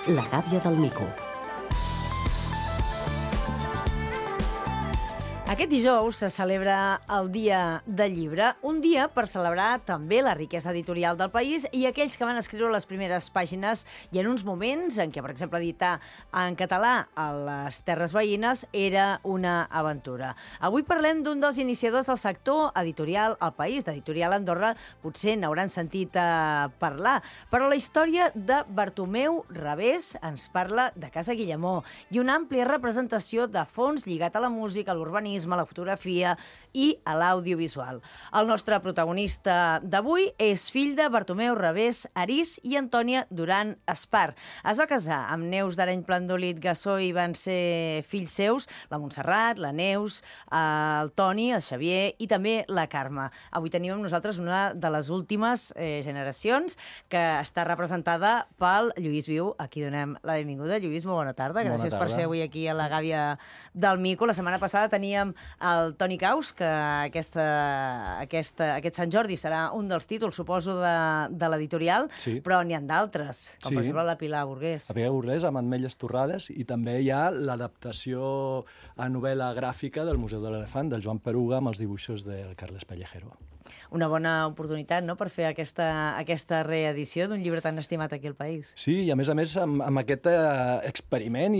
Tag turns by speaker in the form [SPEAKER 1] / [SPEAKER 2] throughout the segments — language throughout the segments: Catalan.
[SPEAKER 1] La gàbia del mico.
[SPEAKER 2] Aquest dijous se celebra el Dia del Llibre, un dia per celebrar també la riquesa editorial del país i aquells que van escriure les primeres pàgines i en uns moments en què, per exemple, editar en català a les terres veïnes era una aventura. Avui parlem d'un dels iniciadors del sector editorial al país, d'Editorial Andorra, potser n'hauran sentit parlar, però la història de Bartomeu Revés ens parla de Casa Guillemó i una àmplia representació de fons lligat a la música, a l'urbanisme, a la fotografia i a l'audiovisual. El nostre protagonista d'avui és fill de Bartomeu Revés Arís i Antònia Duran Espar. Es va casar amb Neus d'Areny Plandolit Gassó i van ser fills seus la Montserrat, la Neus, el Toni, el Xavier i també la Carme. Avui tenim amb nosaltres una de les últimes generacions que està representada pel Lluís Viu. Aquí donem la benvinguda. Lluís, molt bona tarda. Gràcies per ser avui aquí a la gàbia del mico. La setmana passada teníem el Toni Caus, que aquest Sant Jordi serà un dels títols, suposo, de l'editorial, sí. Però n'hi ha d'altres, com per exemple la Pilar Burgués.
[SPEAKER 3] La Pilar Burgués, amb Ametlles torrades, i també hi ha l'adaptació a novel·la gràfica del Museu de l'Elefant, del Joan Peruga, amb els dibuixos del Carles Pellejero.
[SPEAKER 2] Una bona oportunitat, no?, per fer aquesta reedició d'un llibre tan estimat aquí al país.
[SPEAKER 3] Sí, i a més, amb aquest experiment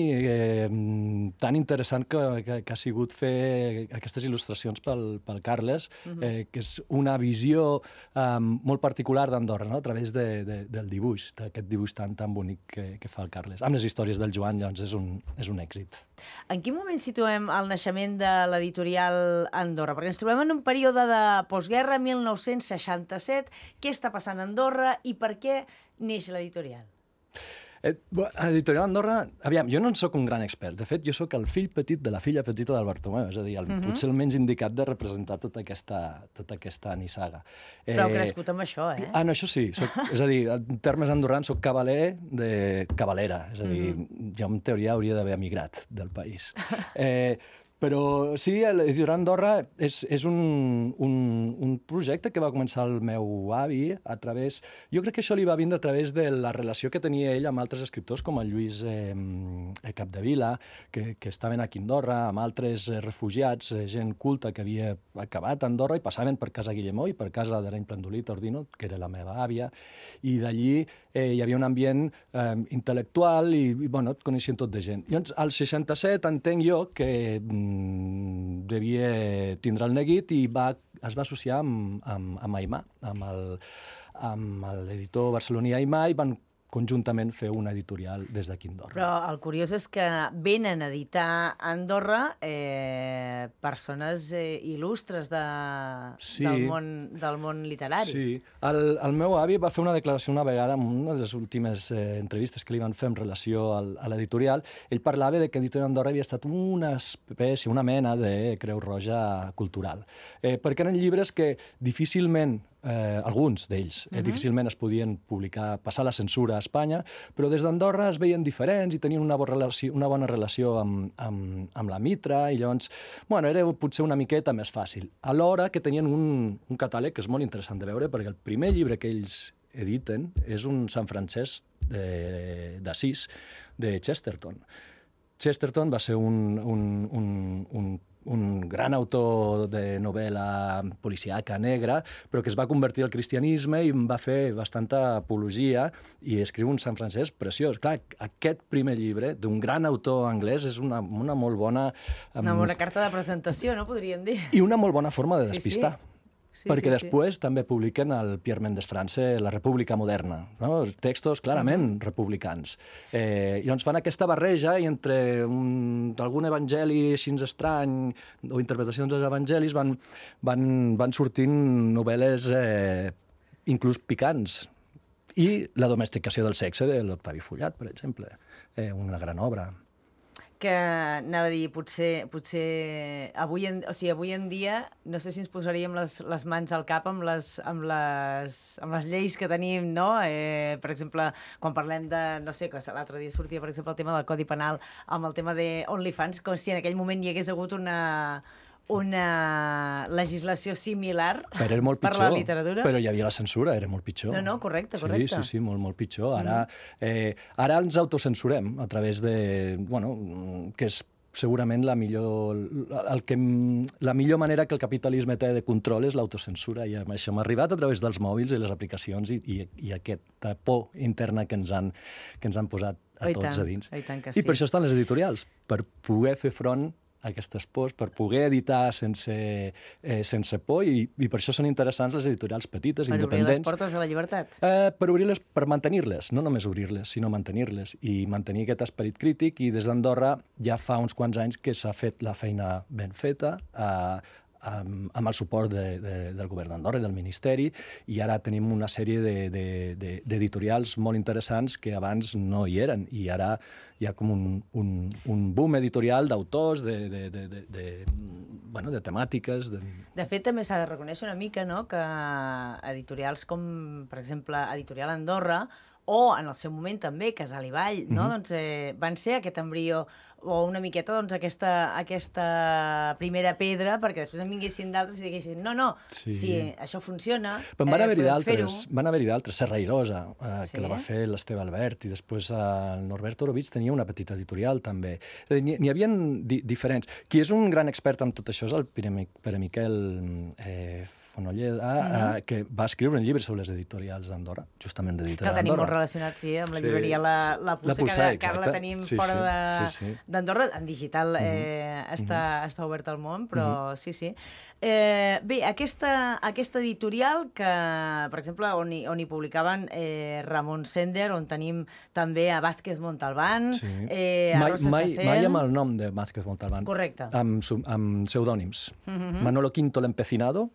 [SPEAKER 3] tan interessant que ha sigut fer aquestes il·lustracions pel Carles, que és una visió molt particular d'Andorra, no?, a través del dibuix, d'aquest dibuix tan bonic que fa el Carles. Amb les històries del Joan, doncs, és un èxit.
[SPEAKER 2] En quin moment situem el naixement de l'editorial Andorra? Perquè ens trobem en un període de postguerra, 1967. Què està passant a Andorra i per què neix l'editorial?
[SPEAKER 3] L'editorial Andorra, aviam, jo no en soc un gran expert. De fet, jo sóc el fill petit de la filla petita del Bartomeu, és a dir, potser el menys indicat de representar tota aquesta nissaga.
[SPEAKER 2] Però ha crescut amb això, eh?
[SPEAKER 3] No, això sí. És a dir, en termes andorrans, soc cavaler de cavalera. És a dir, jo en teoria hauria d'haver emigrat del país. Però sí, l'editorial Andorra és un projecte que va començar el meu avi a través... Jo crec que això li va vindre a través de la relació que tenia ell amb altres escriptors, com el Lluís Capdevila, que estaven aquí a Andorra, amb altres refugiats, gent culta que havia acabat a Andorra i passaven per Casa Guillemó i per casa d'Areny Plandolit Ordino, que era la meva àvia, i d'allí hi havia un ambient intel·lectual i, bueno, et coneixien tot de gent. Llavors, al 67 entenc jo que devia tindre el neguit i es va associar amb Aimà, amb l'editor barceloní Aimà, i van conjuntament fer una editorial des d'aquí a Andorra.
[SPEAKER 2] Però el curiós és que venen a editar a Andorra persones il·lustres del món literari.
[SPEAKER 3] Sí. El meu avi va fer una declaració una vegada en una de les últimes entrevistes que li van fer en relació a l'editorial. Ell parlava de que Editorial Andorra havia estat una espècie, una mena de Creu Roja cultural. Perquè eren llibres que difícilment alguns d'ells difícilment es podien publicar, passar la censura a Espanya, però des d'Andorra es veien diferents i tenien una bona relació amb la Mitra, i llavors, bueno, era potser una miqueta més fàcil. Alhora que tenien un catàleg que és molt interessant de veure, perquè el primer llibre que ells editen és un Sant Francesc d'Assís de Chesterton. Chesterton va ser un gran autor de novel·la policíaca negra, però que es va convertir al cristianisme i va fer bastanta apologia i escriu un Sant Francesc preciós. Clar, aquest primer llibre d'un gran autor anglès és una molt bona...
[SPEAKER 2] Una bona carta de presentació, no? Podríem dir.
[SPEAKER 3] I una molt bona forma de despistar.
[SPEAKER 2] Sí,
[SPEAKER 3] perquè després també publiquen el Pierre Mendès France, La República Moderna, no? Textos clarament republicans. I llavors fan aquesta barreja i entre algun evangeli així estrany o interpretacions dels evangelis van sortint novel·les inclús picants. I La domesticació del sexe de l'Octavi Fullat, per exemple, una gran obra.
[SPEAKER 2] Que anava a dir, potser avui en dia, no sé si ens posaríem les mans al cap amb les lleis que tenim, no? Per exemple, quan parlem de, no sé, que l'altre dia sortia, per exemple, el tema del Codi Penal amb el tema de OnlyFans, com si en aquell moment hi hagués hagut una legislació similar
[SPEAKER 3] però era molt
[SPEAKER 2] per
[SPEAKER 3] pitjor,
[SPEAKER 2] la literatura.
[SPEAKER 3] però hi havia la censura, era molt pitjor.
[SPEAKER 2] No, correcte.
[SPEAKER 3] Sí, molt pitjor. Ara ens autocensurem a través de... que és segurament la millor manera que el capitalisme té de control és l'autocensura, i això m'ha arribat a través dels mòbils i les aplicacions i aquesta por interna que ens han posat a tots a dins.
[SPEAKER 2] I tant que sí.
[SPEAKER 3] I per això estan les editorials, per poder fer front a aquestes pors, per poder editar sense por, i per això són interessants les editorials petites, independents.
[SPEAKER 2] Per obrir les portes a la llibertat.
[SPEAKER 3] Per mantenir-les, no només obrir-les, sinó mantenir-les, i mantenir aquest esperit crític, i des d'Andorra ja fa uns quants anys que s'ha fet la feina ben feta, amb el suport del govern d'Andorra i del Ministeri, i ara tenim una sèrie d'editorials molt interessants que abans no hi eren, i ara hi ha com un boom editorial d'autors, de temàtiques...
[SPEAKER 2] De fet, també s'ha de reconèixer una mica, no?, que editorials com, per exemple, Editorial Andorra, o en el seu moment també Casal i Vall, no? Doncs van ser aquest embrió, o una miqueta aquesta primera pedra, perquè després en vinguessin d'altres i diguessin sí, això funciona,
[SPEAKER 3] però van haver-hi d'altres, Serrairosa, que la va fer l'Esteve Albert, i després el Norbert Orovitz tenia una petita editorial també. N'hi havia diferents. Qui és un gran expert en tot això és el Pere Miquel Fonolleda, que va escriure un llibre sobre les editorials d'Andorra, justament d'Editorial
[SPEAKER 2] d'Andorra. Que el tenim molt relacionat, sí, amb la llibreria La Puça, que ara la tenim fora d'Andorra. En digital està obert al món, però sí. Bé, aquesta editorial que, per exemple, on hi publicaven Ramon Sender, on tenim també a Vázquez Montalbán, a Rosa Chacel...
[SPEAKER 3] Mai amb el nom de Vázquez Montalbán.
[SPEAKER 2] Correcte.
[SPEAKER 3] Amb pseudònims. Manolo Quinto l'Empecinado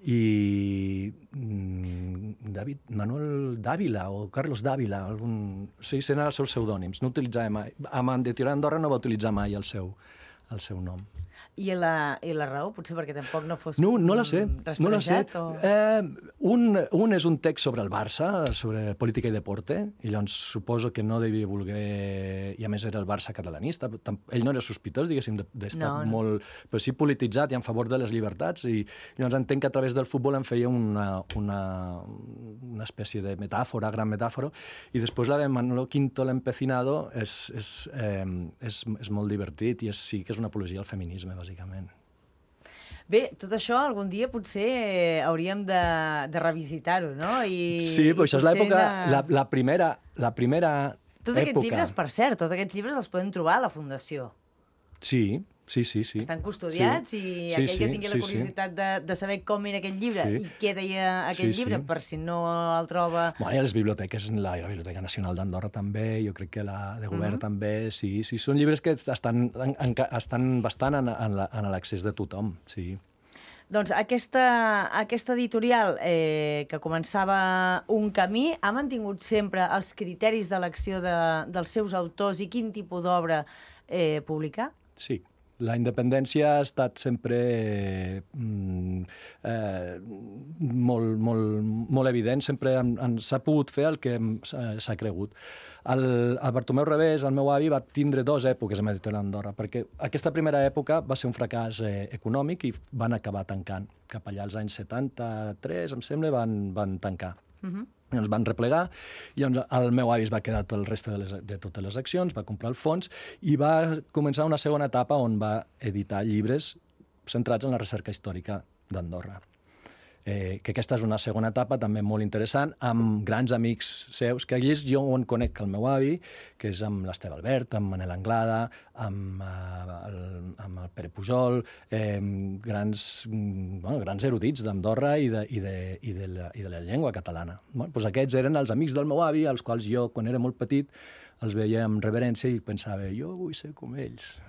[SPEAKER 3] i Manuel Dávila o Carlos Dávila, sí, eren els seus pseudònims. No utilitzava mai. Amb Editorial Andorra no va utilitzar mai el seu nom.
[SPEAKER 2] I la raó? Potser perquè tampoc no fos
[SPEAKER 3] no la sé.
[SPEAKER 2] O...
[SPEAKER 3] Un és un text sobre el Barça, sobre política i deporte, i llavors suposo que no devia voler... I a més era el Barça catalanista. Ell no era sospitós, diguéssim, d'estar molt... Però sí polititzat i en favor de les llibertats, i llavors entenc que a través del futbol en feia una espècie de metàfora, gran metàfora, i després la de Manolo Quinto l'Empecinado és molt divertit, i sí que és una apologia al feminisme, bàsicament.
[SPEAKER 2] Bé, tot això algun dia potser hauríem de revisitar-ho, no?
[SPEAKER 3] Sí, però això és l'època... La primera
[SPEAKER 2] tots aquests llibres, per cert, tots aquests llibres els podem trobar a la Fundació.
[SPEAKER 3] Sí.
[SPEAKER 2] Estan custodiats, i aquell que tingui la curiositat de saber com era aquell llibre i què deia aquell llibre, per si no el troba...
[SPEAKER 3] Hi ha les biblioteques, la Biblioteca Nacional d'Andorra també, jo crec que la de govern també, sí. Són llibres que estan bastant en l'accés de tothom, sí.
[SPEAKER 2] Doncs aquesta editorial que començava un camí ha mantingut sempre els criteris d'elecció dels seus autors i quin tipus d'obra publicar?
[SPEAKER 3] Sí. La independència ha estat sempre molt evident, sempre s'ha pogut fer el que s'ha cregut. El Bartomeu Revés, el meu avi, va tindre 2 èpoques amb Editorial Andorra, perquè aquesta primera època va ser un fracàs econòmic i van acabar tancant. Cap allà als anys 73, em sembla, van tancar. Ens van replegar, i llavors el meu avi es va quedar el reste de totes les accions, va comprar el fons i va començar una segona etapa on va editar llibres centrats en la recerca històrica d'Andorra. Que aquesta és una segona etapa també molt interessant, amb grans amics seus, que ells jo en conec el meu avi, que és amb l'Esteve Albert, amb Manel Anglada, amb el Pere Pujol, grans erudits d'Andorra i de la llengua catalana. Doncs aquests eren els amics del meu avi, als quals jo, quan era molt petit, els veia amb reverència i pensava, jo vull ser com ells.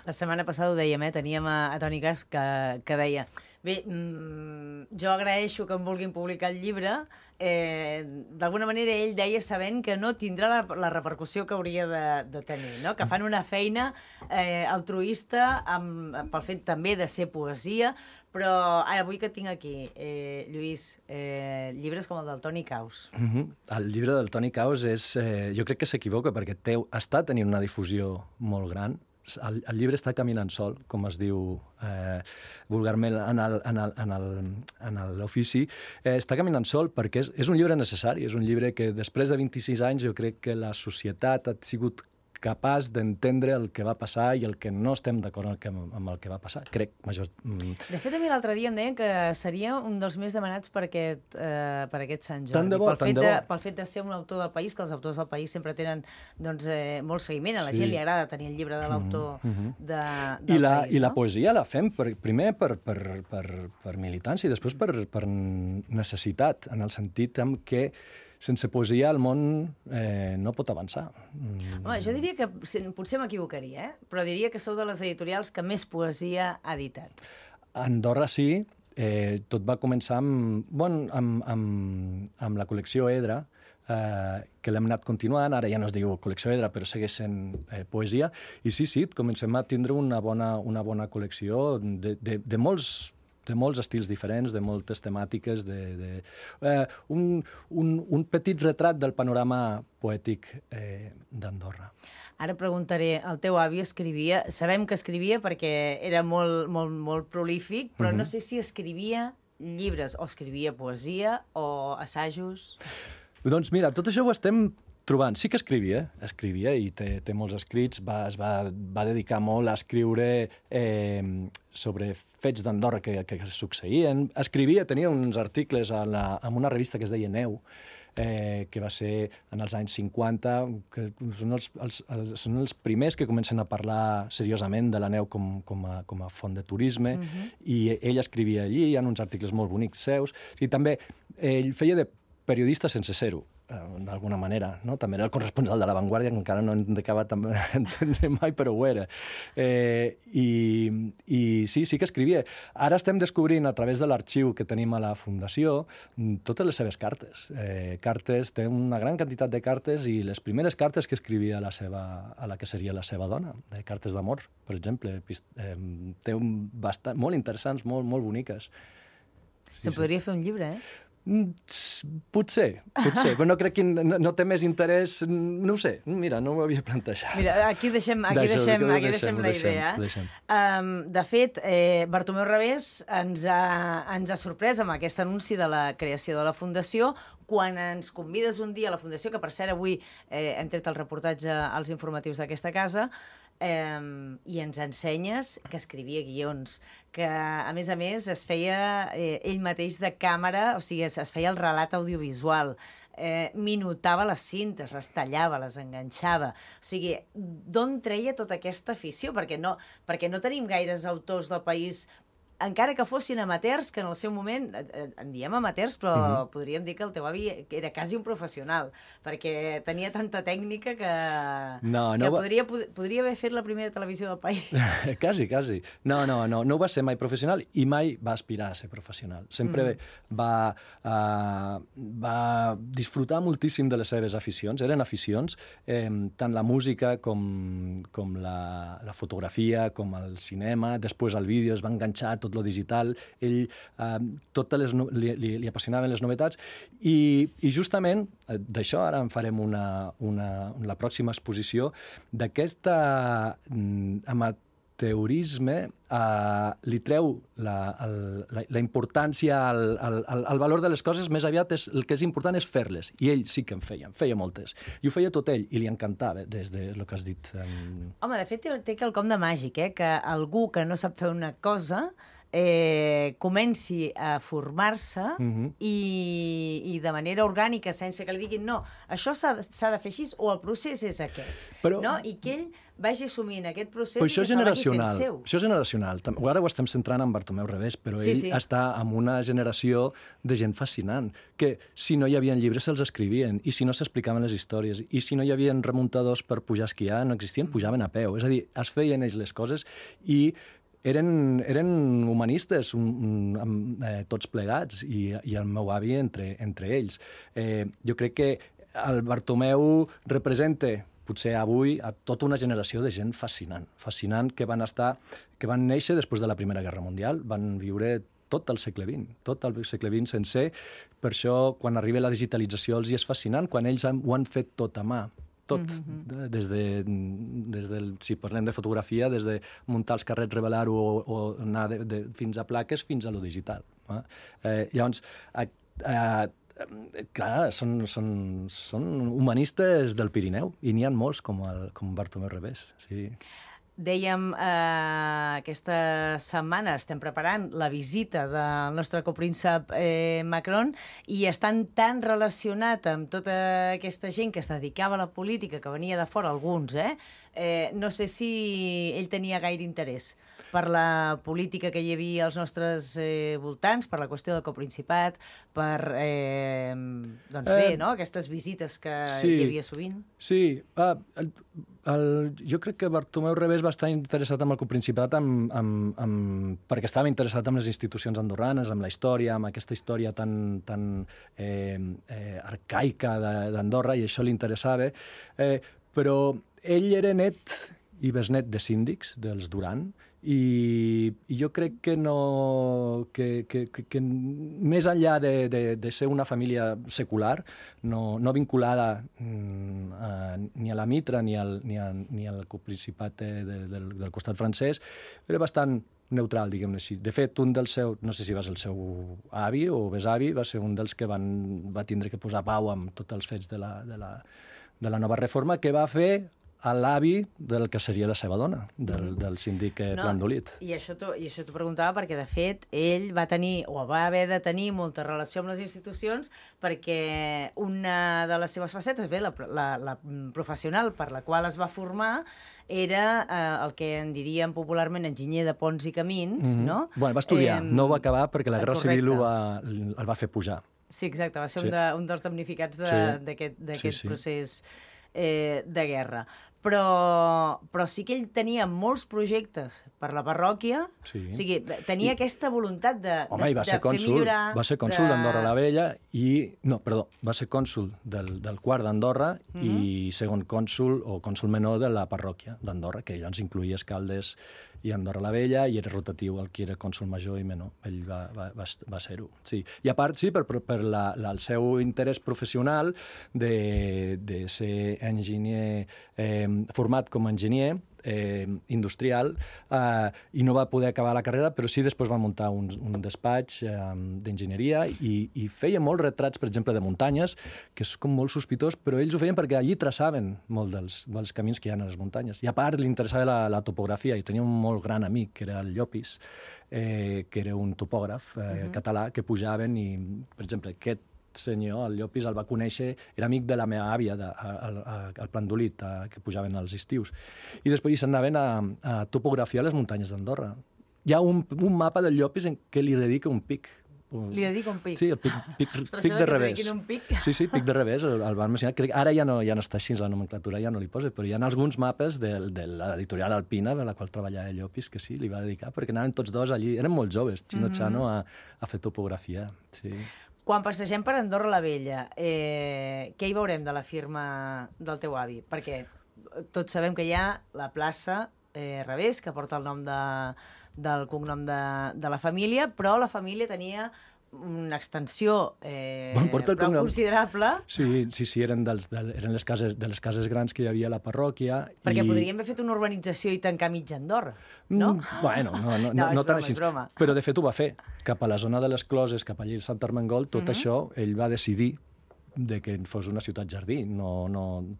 [SPEAKER 2] La setmana passada ho dèiem, teníem a Toni Cas que deia, bé, jo agraeixo que em vulguin publicar el llibre, d'alguna manera ell deia sabent que no tindrà la repercussió que hauria de tenir, no? Que fan una feina altruista pel fet també de ser poesia, però ara avui que tinc aquí, Lluís, llibres com el del Toni Caus.
[SPEAKER 3] El llibre del Toni Caus jo crec que s'equivoca perquè està tenint una difusió molt gran. el llibre està caminant sol, com es diu vulgarment en l'ofici. Està caminant sol perquè és un llibre necessari, és un llibre que després de 26 anys jo crec que la societat ha sigut capaç d'entendre el que va passar i el que no estem d'acord amb el que va passar. Crec, major...
[SPEAKER 2] De fet, a mi l'altre dia em deien que seria un dels més demanats per aquest Sant Jordi.
[SPEAKER 3] Tant de bo, tant de bo.
[SPEAKER 2] Pel fet de ser un autor del país, que els autors del país sempre tenen molt seguiment. A la gent li agrada tenir el llibre de l'autor del país.
[SPEAKER 3] I la poesia la fem primer per militància i després per necessitat, en el sentit en què sense poesia el món no pot avançar.
[SPEAKER 2] Home, jo diria que, potser m'equivocaria, però diria que sou de les editorials que més poesia ha editat.
[SPEAKER 3] A Andorra sí. Tot va començar amb la col·lecció Edra, que l'hem anat continuant, ara ja no es diu col·lecció Edra, però segueix sent poesia, i sí, comencem a tindre una bona col·lecció de molts estils diferents, de moltes temàtiques, un petit retrat del panorama poètic d'Andorra.
[SPEAKER 2] Ara preguntaré, el teu avi escrivia, sabem que escrivia perquè era molt prolífic, però no sé si escrivia llibres, o escrivia poesia, o assajos...
[SPEAKER 3] Doncs mira, tot això ho estem trobant. Sí que escrivia i té molts escrits, es va dedicar molt a escriure sobre fets d'Andorra que succeïen. Escrivia, tenia uns articles en una revista que es deia Neu, que va ser en els anys 50, que són els primers que comencen a parlar seriosament de la neu com a font de turisme, i ell escrivia allí, hi ha uns articles molt bonics seus, i també ell feia de periodista sense ser-ho, d'alguna manera, no? També era el corresponsal de La Vanguardia, que encara no hem acabat d'entendre mai, però ho era. I sí que escrivia. Ara estem descobrint, a través de l'arxiu que tenim a la Fundació, totes les seves cartes. Té una gran quantitat de cartes, i les primeres cartes que escrivia a la que seria la seva dona, cartes d'amor, per exemple. Té molt interessants, molt boniques.
[SPEAKER 2] Se'n podria fer un llibre,
[SPEAKER 3] Potser, però no crec que no té més interès, no ho sé, mira, no ho havia plantejat.
[SPEAKER 2] Mira, aquí deixem la idea. De fet, Bartomeu Revés ens ha sorprès amb aquest anunci de la creació de la Fundació, quan ens convides un dia a la Fundació, que per cert avui hem tret el reportatge als informatius d'aquesta casa, i ens ensenyes que escrivia guions, que a més es feia ell mateix de càmera, o sigui, es feia el relat audiovisual, minutava les cintes, les tallava, les enganxava. O sigui, d'on treia tota aquesta afició? Perquè no tenim gaires autors del país, encara que fossin amateurs, que en el seu moment, en diem amateurs, però podríem dir que el teu avi era quasi un professional, perquè tenia tanta tècnica que podria haver fet la primera televisió del país.
[SPEAKER 3] Quasi. No va ser mai professional i mai va aspirar a ser professional. Sempre va disfrutar moltíssim de les seves aficions. Eren aficions, tant la música com la fotografia, com el cinema, després el vídeo, es va enganxar tot lo digital, ell li apassionaven les novetats, i justament d'això ara en farem la pròxima exposició, d'aquest amateurisme li treu la importància, el valor de les coses. Més aviat el que és important és fer-les, i ell sí que en feia moltes, i ho feia tot ell, i li encantava, des del que has dit.
[SPEAKER 2] Home, de fet té quelcom de màgic, que algú que no sap fer una cosa comenci a formar-se i de manera orgànica, sense que li diguin no, això s'ha de fer així, o el procés és aquest, i que ell vagi assumint aquest procés i que se'l vagi fent seu.
[SPEAKER 3] Això és generacional. Ara ho estem centrant en Bartomeu Revés, però ell està en una generació de gent fascinant, que si no hi havia llibres se'ls escrivien, i si no s'explicaven les històries, i si no hi havia remuntadors per pujar a esquiar, no existien, pujaven a peu. És a dir, es feien ells les coses, i eren humanistes, tots plegats, i el meu avi entre ells. Jo crec que el Bartomeu representa, potser avui, a tota una generació de gent fascinant, que van néixer després de la Primera Guerra Mundial, van viure tot el segle XX sencer. Per això, quan arriba la digitalització, els hi és fascinant, quan ells ho han fet tot a mà. tot. Si parlem de fotografia, des de muntar els carrets, revelar-ho o anar fins a plaques fins a lo digital. Llavors, clar, són humanistes del Pirineu, i n'hi ha molts, com Bartomeu Revés. Sí.
[SPEAKER 2] Dèiem, aquesta setmana estem preparant la visita del nostre copríncep Macron i estan tan relacionat amb tota aquesta gent que es dedicava a la política, que venia de fora, alguns, no sé si ell tenia gaire interès per la política que hi havia als nostres voltants, per la qüestió del coprincipat, per, aquestes visites que hi havia sovint.
[SPEAKER 3] Sí, jo crec que Bartomeu Revés va estar interessat en el coprincipat perquè estava interessat en les institucions andorranes, amb la història, amb aquesta història tan arcaica d'Andorra, i això li interessava. Però ell era net i besnet de síndics, dels Duran, i jo crec que més enllà de ser una família secular, no vinculada ni a la Mitra ni al coprincipat del costat francès, era bastant neutral, diguem-ne així. De fet, un dels seus, no sé si va ser el seu avi o besavi, va ser un dels que va tindre que posar pau amb tots els fets de la nova reforma, que va fer a l'avi del que seria la seva dona, del síndic Plandolit.
[SPEAKER 2] I això t'ho preguntava perquè, de fet, ell va tenir, o va haver de tenir, molta relació amb les institucions, perquè una de les seves facetes, la professional per la qual es va formar, era el que en diríem popularment enginyer de ponts i camins, no?
[SPEAKER 3] Bueno, va estudiar, no va acabar perquè la Guerra Civil el va fer pujar.
[SPEAKER 2] Sí, exacte, va ser un dels damnificats d'aquest procés de guerra. Però sí que ell tenia molts projectes per la parròquia, o sigui, tenia aquesta voluntat de fer millorar...
[SPEAKER 3] Va ser cònsol d'Andorra la Vella va ser cònsol del quart d'Andorra i segon cònsol o cònsol menor de la parròquia d'Andorra, que llavors incloïa Escaldes i Andorra la Vella, i era rotatiu el que era cònsol major i menor. Ell va ser-ho. Sí. I a part, sí, per el seu interès professional de ser enginyer, format com a enginyer industrial, i no va poder acabar la carrera, però sí després va muntar un despatx d'enginyeria i feia molts retrats, per exemple, de muntanyes, que és com molt sospitós, però ells ho feien perquè allí traçaven molt dels camins que hi ha a les muntanyes. I a part li interessava la topografia, i tenia un molt gran amic, que era el Llopis, que era un topògraf català, que pujaven i, per exemple, aquest senyor, el Llopis, el va conèixer, era amic de la meva àvia, al Plandolit, que pujaven als estius. I després se'n anaven a topografiar les muntanyes d'Andorra. Hi ha un mapa del Llopis en què li dedica un pic.
[SPEAKER 2] Li dedica un pic?
[SPEAKER 3] Sí, el pic de Revés. Sí, pic de Revés, el van mencionar. Ara ja no està així, la nomenclatura ja no li posa, però hi ha alguns mapes de l'editorial Alpina, de la qual treballava el Llopis, que sí, li va dedicar, perquè anaven tots dos allí, eren molt joves, Chino a fer topografia. Sí.
[SPEAKER 2] Quan passegem per Andorra la Vella, què hi veurem de la firma del teu avi? Perquè tots sabem que hi ha la plaça Revés, que porta el nom del cognom de la família, però la família tenia una extensió prou considerable.
[SPEAKER 3] Sí, eren les cases grans que hi havia a la parròquia.
[SPEAKER 2] Perquè podríem haver fet una urbanització i tancar mitja Andorra, no?
[SPEAKER 3] Bueno, no tan així. Però de fet ho va fer. Cap a la zona de les Closes, cap allà a Sant Armengol, tot això ell va decidir que fos una ciutat jardí.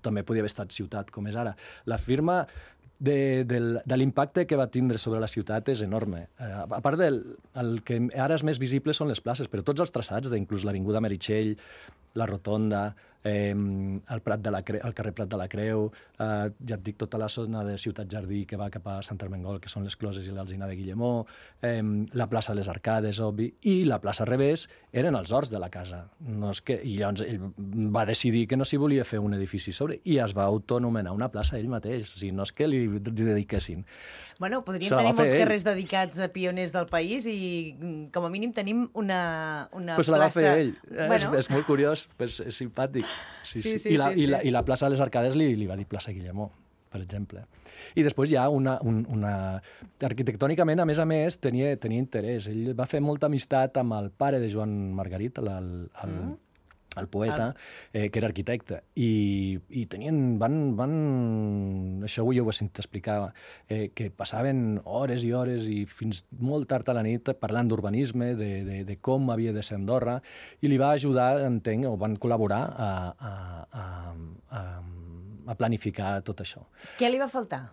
[SPEAKER 3] També podia haver estat ciutat com és ara. La firma de l'impacte que va tindre sobre la ciutat és enorme. A part el que ara és més visible són les places, però tots els traçats, inclús l'Avinguda Meritxell, la Rotonda, el carrer Prat de la Creu, ja et dic, tota la zona de Ciutat Jardí que va cap a Sant Armengol, que són les Closes i l'Alzina de Guillemó, la plaça de les Arcades, obvi, i la plaça Revés eren els horts de la casa. I llavors ell va decidir que no s'hi volia fer un edifici sobre i es va autonomenar una plaça ell mateix. O sigui, no és que li dediquessin.
[SPEAKER 2] Bueno, podríem tenir molts carrers dedicats a pioners del país i com a mínim tenim una plaça...
[SPEAKER 3] Però se la va fer ell. És molt curiós, és simpàtic. Sí. I la plaça de les Arcades li va dir plaça Guillemó, per exemple. I després hi ha arquitectònicament, a més, tenia interès. Ell va fer molta amistat amb el pare de Joan Margarit, el poeta, que era arquitecte, i tenien, això avui ho he sentit explicar, que passaven hores i hores i fins molt tard a la nit parlant d'urbanisme, de com havia de ser Andorra, i li va ajudar, entenc, o van col·laborar a planificar tot això.
[SPEAKER 2] Què li va faltar?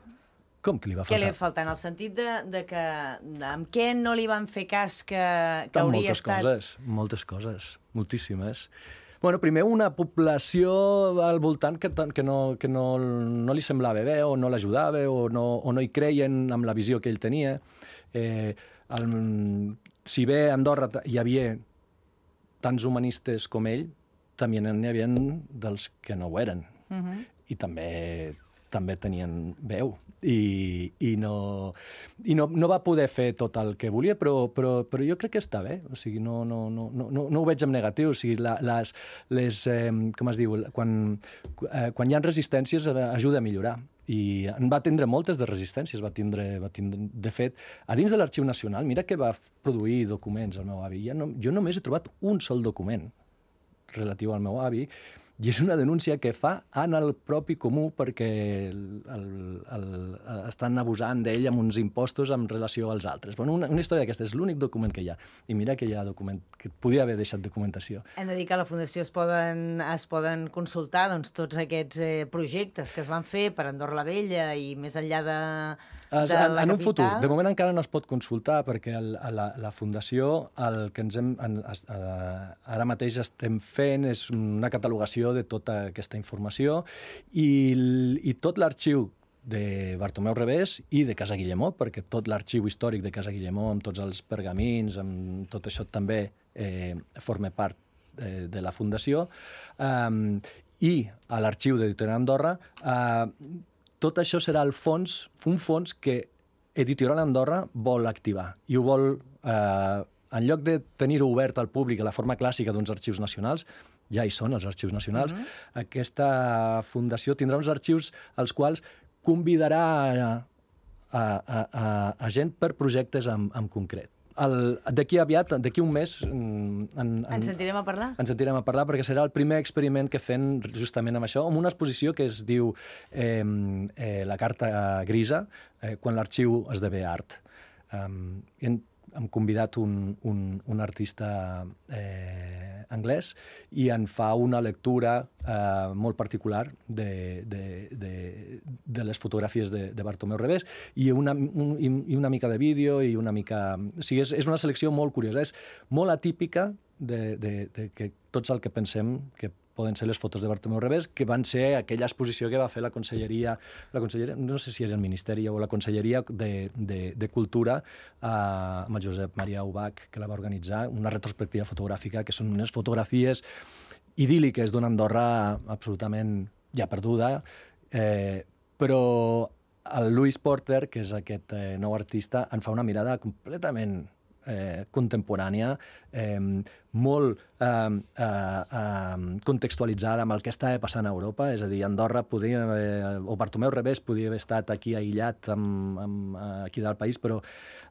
[SPEAKER 3] Com que li va faltar?
[SPEAKER 2] Què li va faltar? En el sentit de que amb què no li van fer cas que hauria estat...
[SPEAKER 3] Moltes coses, moltíssimes. Bueno, primer, una població al voltant que no li semblava bé, o no l'ajudava, o no hi creien amb la visió que ell tenia. Si bé a Andorra hi havia tants humanistes com ell, també n'hi havia dels que no ho eren. I també tenien veu. I no va poder fer tot el que volia, però jo crec que està bé. O sigui, no ho veig en negatiu. O sigui, com es diu, quan hi ha resistències ajuda a millorar. I en va tindre moltes de resistències. Va tindre, de fet, a dins de l'Arxiu Nacional, mira que va produir documents el meu avi. Jo només he trobat un sol document relatiu al meu avi, i és una denúncia que fa en el propi comú perquè estan abusant d'ell amb uns impostos en relació als altres. Bueno, una història d'aquesta és l'únic document que hi ha. I mira que hi ha document que podia haver deixat documentació.
[SPEAKER 2] Hem de dir que a la Fundació es poden consultar tots aquests projectes que es van fer per Andorra la Vella i més enllà de la capital.
[SPEAKER 3] En un futur. De moment encara no es pot consultar perquè la Fundació el que ara mateix estem fent és una catalogació de tota aquesta informació i tot l'arxiu de Bartomeu Revés i de Casa Guillemó, perquè tot l'arxiu històric de Casa Guillemó, amb tots els pergamins, amb tot això també forma part de la Fundació, i a l'arxiu d'Editorial Andorra, tot això serà un fons que Editorial Andorra vol activar i ho vol, en lloc de tenir-ho obert al públic a la forma clàssica d'uns arxius nacionals, ja hi són els arxius nacionals, aquesta fundació tindrà uns arxius als quals convidarà a gent per projectes en concret. D'aquí aviat, d'aquí un mes...
[SPEAKER 2] Ens sentirem a parlar?
[SPEAKER 3] Ens sentirem a parlar perquè serà el primer experiment que fem justament amb això, amb una exposició que es diu La carta grisa, quan l'arxiu esdevé art. Hem convidat un artista anglès i en fa una lectura molt particular de les fotografies de Bartomeu Revés i una mica de vídeo i una mica... O sigui, és una selecció molt curiosa, és molt atípica de que tots el que pensem que poden ser les fotos de Bartomeu Revés, que van ser aquella exposició que va fer la conselleria, no sé si és el Ministeri o la Conselleria de Cultura, amb el Josep Maria Ubach, que la va organitzar, una retrospectiva fotogràfica, que són unes fotografies idíl·liques d'una Andorra absolutament ja perduda, però el Louis Porter, que és aquest nou artista, en fa una mirada completament contemporània, molt contextualitzada amb el que estava passant a Europa, és a dir, Andorra o Bartomeu Revés podia haver estat aquí aïllat aquí del país, però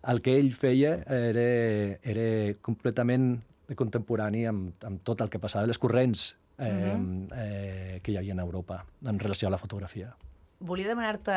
[SPEAKER 3] el que ell feia era completament contemporani amb tot el que passava, les corrents que hi havia a Europa en relació a la fotografia.
[SPEAKER 2] Volia demanar-te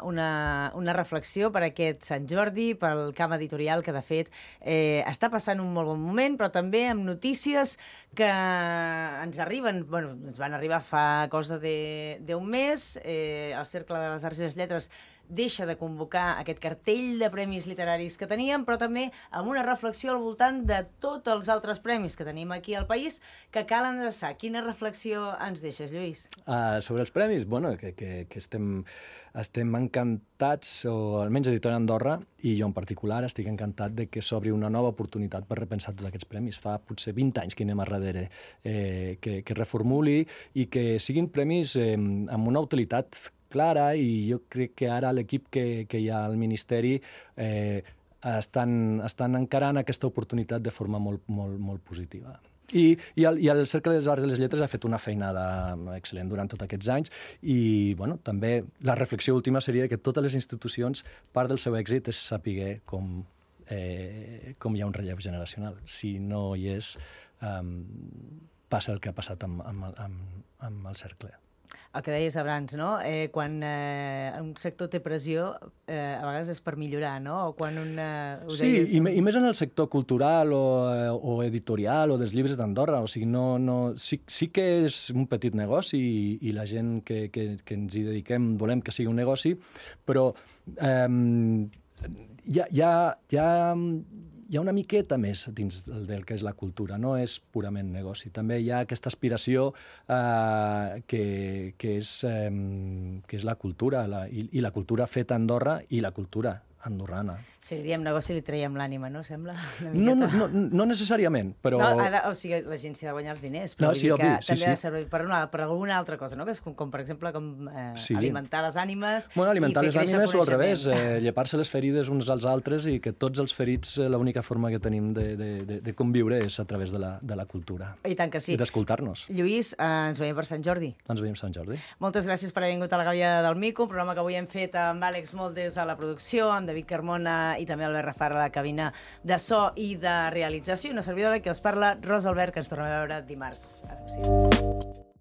[SPEAKER 2] una reflexió per aquest Sant Jordi, pel camp editorial, que de fet està passant un molt bon moment, però també amb notícies que ens arriben, bueno, ens van arribar fa cosa d'un mes, el Cercle de les Arts i les Lletres deixa de convocar aquest cartell de premis literaris que teníem, però també amb una reflexió al voltant de tots els altres premis que tenim aquí al país que cal endreçar. Quina reflexió ens deixes, Lluís?
[SPEAKER 3] Sobre els premis, bueno, que estem encantats, o almenys Editorial Andorra, i jo en particular estic encantat de que s'obri una nova oportunitat per repensar tots aquests premis. Fa potser 20 anys que anem a darrere, que reformuli i que siguin premis amb una utilitat clara, i jo crec que ara l'equip que hi ha al Ministeri estan encarant aquesta oportunitat de forma molt positiva. I el Cercle de les Arts i les Lletres ha fet una feinada excel·lent durant tots aquests anys i també la reflexió última seria que totes les institucions, part del seu èxit és saber com hi ha un relleu generacional. Si no hi és, passa el que ha passat amb el cercle.
[SPEAKER 2] El que deies abans, no? Quan un sector té pressió, a vegades és per millorar, no? O quan
[SPEAKER 3] sí, i més en el sector cultural o editorial o dels llibres d'Andorra. O sigui, sí que és un petit negoci i la gent que ens hi dediquem volem que sigui un negoci, però hi ha una miqueta més dins del que és la cultura, no és purament negoci. També hi ha aquesta aspiració que és la cultura, i la cultura feta a Andorra i la cultura andorrana.
[SPEAKER 2] Si li diem negoci li traiem l'ànima, no? Sembla?
[SPEAKER 3] No necessàriament, però...
[SPEAKER 2] O sigui, la gent s'hi ha de guanyar els diners, però
[SPEAKER 3] sí,
[SPEAKER 2] també
[SPEAKER 3] sí.
[SPEAKER 2] ha de servir per alguna altra cosa, no? Que és com per exemple, alimentar les ànimes i fer créixer el coneixement.
[SPEAKER 3] Alimentar les ànimes o al revés, llepar-se les ferides uns als altres, i que tots els ferits, l'única forma que tenim de conviure és a través de la cultura.
[SPEAKER 2] I tant que sí.
[SPEAKER 3] I d'escoltar-nos.
[SPEAKER 2] Lluís, ens veiem per Sant Jordi.
[SPEAKER 3] Ens veiem Sant Jordi.
[SPEAKER 2] Moltes gràcies per haver vingut a la Gàbia del Mico, un programa que avui hem fet amb Àlex Moldes a la producció, amb David Carmona i també Albert Rafar a la cabina de so i de realització. Una servidora que us parla, Rosa Albert, que ens tornem a veure dimarts. Adéu-siau.